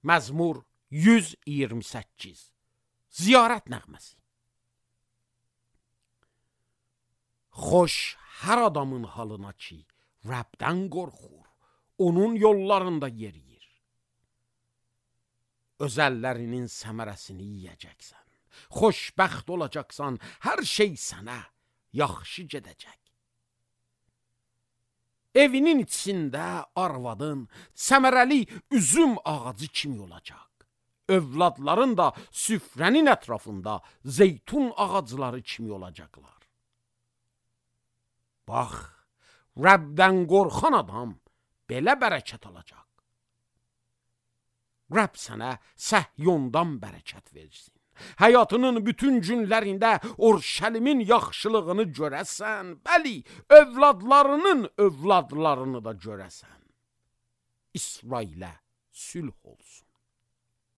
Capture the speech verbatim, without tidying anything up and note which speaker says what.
Speaker 1: Məzmur yüz iyirmi səkkiz. Ziyarət nəğməsi. Xoş hər adamın halına ki, Rəbdən qorxur, onun yollarında yeriyir. Öz əllərinin səmərəsini yiyəcəksən, xoşbəxt olacaqsan, hər şey sənə yaxşı gedəcək. Evinin içində arvadın səmərəli üzüm ağacı kimi olacaq. Övladların da süfrənin ətrafında zeytun ağacları kimi olacaqlar. Bax, Rəbdən qorxan adam belə bərəkət alacaq. Rəbb sənə Səhyondan bərəkət versin. Həyatının bütün günlərində Orşəlimin yaxşılığını görəsən, bəli, övladlarının övladlarını da görəsən. İsrailə sülh olsun.